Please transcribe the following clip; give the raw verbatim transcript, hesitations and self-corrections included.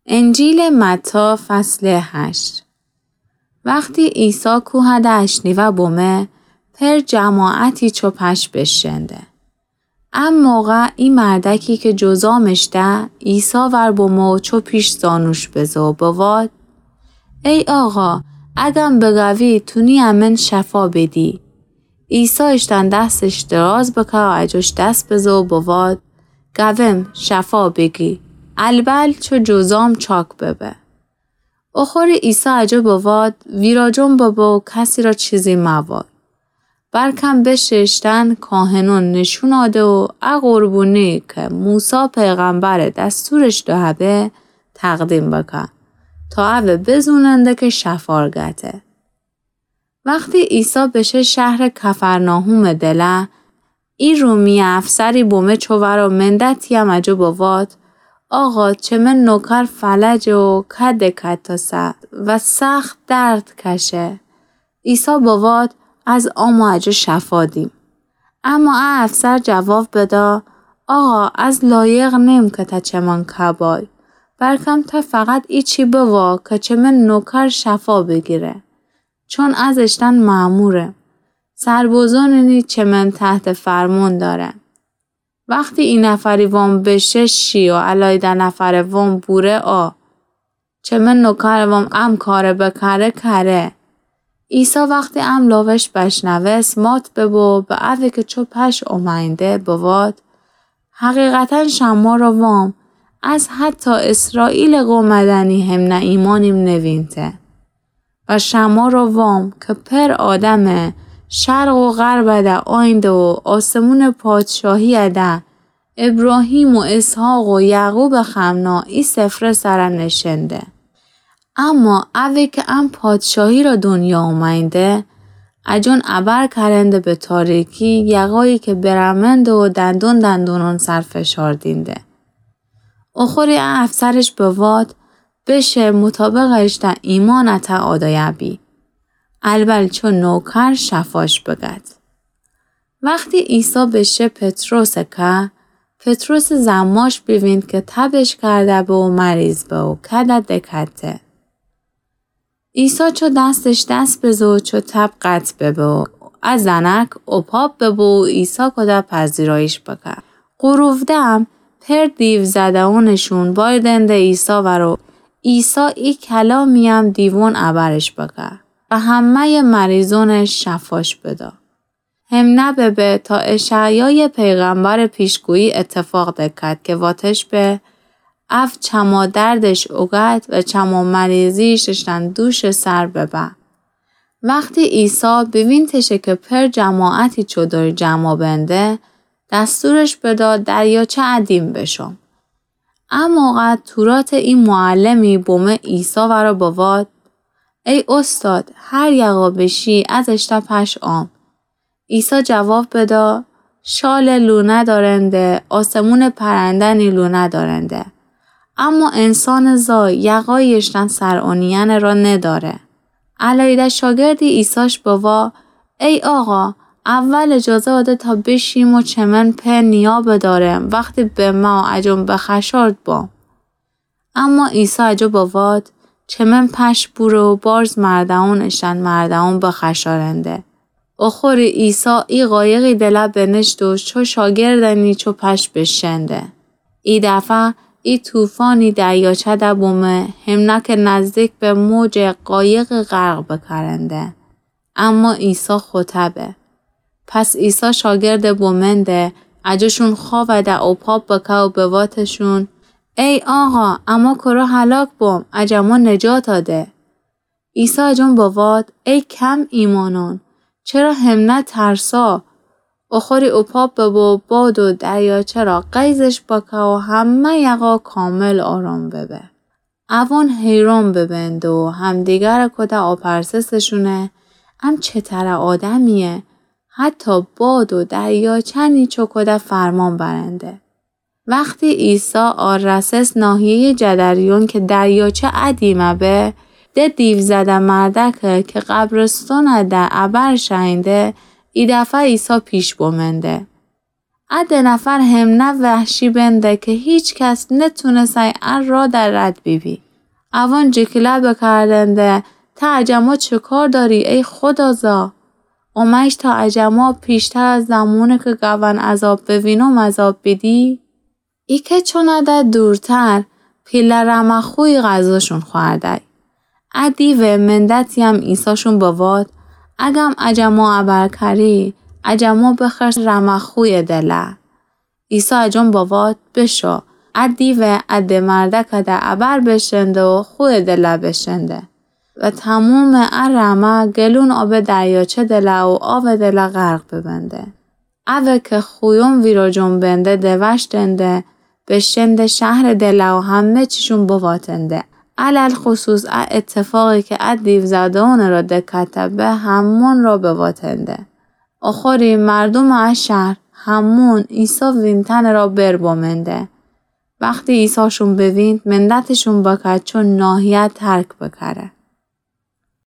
انجیلٚ متی، فصلٚ هشت. وختی عیسی کوهَ ده اشنیوه بمه، پر جماعتی چو پشه بیشنده. ا موقع ای مردکی کی جذام ایشته، عیسی ور بمو چو پیش زانوش بزه و بواد: ای آقا، اگم بگوی، تونی امه شفا بیدی. عیسی ایشتن دستش دراز بکه و اجوش دس بزه و بواد: گوم، شفا بیگی. البل چو جذام چاک ببه. اخوری عیسی اجو بواد: ویراجن ببه و کسی را چیزی موای. بلکم بشه ایشتن کاهنون نیشون آده و ا قربونی کی موسی پیغمبرٚ دستورش دهه به تقدیم بکه، تا اوه بزوننده کی شفار گته. وختی عیسی بشه شهرٚ کفرناحومٚ دله، ای رومی افسری بمه چو ور و منده تیه و اجو بواد: آقا، چمه نوکر فلجه و کده کتاسه و سخت درد کشه. عیسی بواد: از آمو اجو شفا دیم. اما ا افسر جواب بده: آقا، از لایق نیم کی ته چمن کبای، بلکم ته فقط ایچی بوا کی چمه نوکر شفا بیگیره، چون از ایشتن مأمورم. سربازونی چمن تحت فرمون داره. وختی ای نفری وام بشه شی و الأیده نفرٚ وام بوره آ، چمه نوکرٚ وام ام کاره بکره کره. عیسی وختی ام لاوش بشنوست، مات ببو، به اوی کی چو پشه اومأینده بواد: حقیقتا شمه را وام، از حتی اسرائیلٚ قوم دنی همنه ایمانیم نوینته. و شمه را وام کی پر آدمٚ شرق و غرب ده آینده و آسمونٚ پادشاهی ده ابراهیم و اسحاق و یعقوبٚ خمنا ای سفره سر نشنده. اما اوی کی ام پادشاهی را دنیا اومأینده، اجون ابر کرنده به تاریکی، یقایی کی برمنده و دندون دندونون سر فشار دینده. اخوری ا افسرش بواد: بشه مطابق اشته ایمانته آدایه بی. البل چو نوکر شفاش بگد. وختی عیسی بشه پطرسٚ که، پطرسٚ زماش بیوینده کی تبش کرده به و مریض به و کده دکته. عیسی چو دستش دس بزه و چو تب قطع ببه و ا زنک اوپاپ ببه و عیسی کوده پذیرایش بکه. غروودم پر دیوزده‌اونشون بایدنده عیسی ور و عیسی ای کلامی ام دیوون ابرش بکه و همه‌یٚ مریضونش شفاش بده. همنه ببه تا اشعیایٚ پیغمبرٚ پیشگویی اتفاق دکد کی واتش به: او چما دردش اوگد و چما مریضیش اشتن دوشٚ سر ببه. وختی عیسی بیوینتشه کی پر جماعتی چودر جمع بنده، دستورش بده دریاچه ا دیم بشم. ا موقع توراتٚ ای معلمی بمه عیسی ور و بواد: ای اوستاد، هر یقا بشی از اشته پشه آم. عیسی جواب بده: شالٚ لونه دارنده، آسمونٚ پرنده‌نی لونه دارنده، اما انسانٚ زای یقایی اشتن سر اونیأنٚ را نداره. الأیده شاگردی عیساش بوا: ای آقا، اول اجازه بده تا بشیم و چمن په نیا بدارم، وختی بمه و اجون بخشارد بام. اما عیسی اجو بواد: چمن پشه بوره و بارز مرده‌ون اشتن مرده‌ون بخشارنده. اخوری عیسی ای قایقی دله بنشت و چو شاگردأنی چو پشه بشنده. ای دفعه ای طوفانی دریاچه ده بومه، همنه کی نزدیک به موج قایقی غرق بکرنده. اما عیسی خوطه به. پس عیسی شاگردٚ بومنده اجوشون خوأوده اوپاپ بکه و بواتشون: ای آقا، اما کره هلاک بوم، اجما نجات ده. عیسی اجون بواد: ای کم ایمانان، چرا همنه ترسا؟ اخوری اوپاپ ببو، باد و دریاچه را غیظش بکه و همه یقا کامل آرام ببه. اوان حیران ببنده و همدیگر کوده آپرسسشونه: ام چترٚ آدمیه؟ حتی باد و دریاچه نیچو کوده فرمان برنده. وختی عیسی آرسس ناحیه‌یٚ جدریون کی دریاچه ا دیمه به، ده دیوزده مردکه کی قبرستانٚ ده ابر شأینده، ای دفعه عیسی پیش بومنده. ا ده نفر همنه وحشی بنده که هیچ کس نتونسه ا را در رد بیبی. اوان جیکیله بکردنده: ته عجما چه کار داری ای خدا زا؟ اومش تا عجما پیشتر از زمونه که گون عذاب بوینم عذاب بیدی؟ ای که چونه ده دورتر پیله رمه خوی غذاشون خوردی. ا دیوه مندتی هم عیساشون بوات: اگم عجما ابر کری، عجما بخر رمه خوی دله. عیسی اجون بوات: بشو. ا دیوه ا ده مردکه ده ابر بشنده و خوی دله بشنده و تموم ا رمه گلون آب دریاچه دله و آو دله غرق ببنده. اوه که خویون ویراجون بنده دوشتنده، بشنده شهر دله و همه چیشون بواتنده. علی‌الخصوص ا اتفاقی که ا دیوزاده‌ون را دکته به همون را بواتنده. آخری مردوم ا شهر همون عیسی وینتن را بر بمنده. وختی عیساشون بویند، مندتشون بکد چون ناحیه ترک بکره.